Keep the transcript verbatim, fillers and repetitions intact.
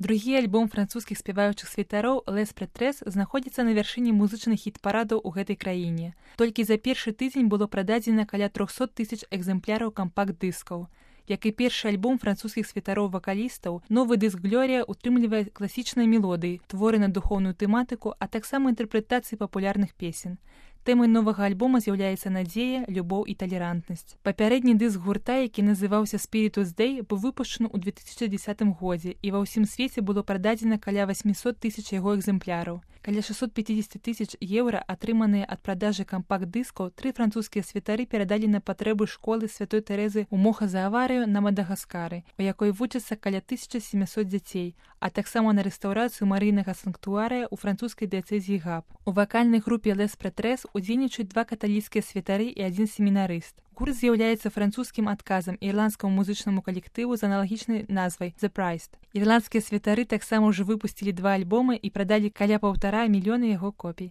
Другі альбом французскіх спяваючых святароў «Les Prêtresses» знаходзіцца на вяршыні музычных хіт-парадаў у гэтай краіне. Толькі за першы тыдзень было прададзена каля трохсот тысяч экземпляраў кампакт-дыскаў. Як і першы альбом французскіх святароў-вакалістаў, новы дыск «Глорія» утрымлівае класічныя мелодыі, творы на духоўную тэматыку, а таксама інтэрпрэтацыі папулярных песен. Тэмай новага альбома з'яўляецца надзея, любоў і талерантнасць. Папярэдні дыск гурта, які называўся «Spiritus Day», быў выпушчаны ў две тысячы дзесятым годзе, і ва ўсім свеце было прададзена каля восьмісот тысяч яго экземпляраў. Каля шэсцьсот пяцьдзесят тысяч еўра, атрыманыя ад продажы кампакт-дыскаў, тры французскія святары перадалі на патрэбы школы святой Тэрэзы ў Моха-за-Аварыю на Мадагаскары, у якой вучацца каля тысяча сямісот дзяцей, а таксама на рэстаўрацыю марыйнага санктуарыя ў французскай дыяцэзіі Гап. У вакальнай групе «Les Prêtresses» удзельнічаюць два каталіцкія святары і адзін семінарыст. Гурт з'яўляецца французскім адказам ірландскаму музычнаму калектыву з аналагічнай назвай «The Priest». Ірландскія святары таксама ўжо выпусцілі два альбомы і прадалі каля паўтара мільёна яго копій.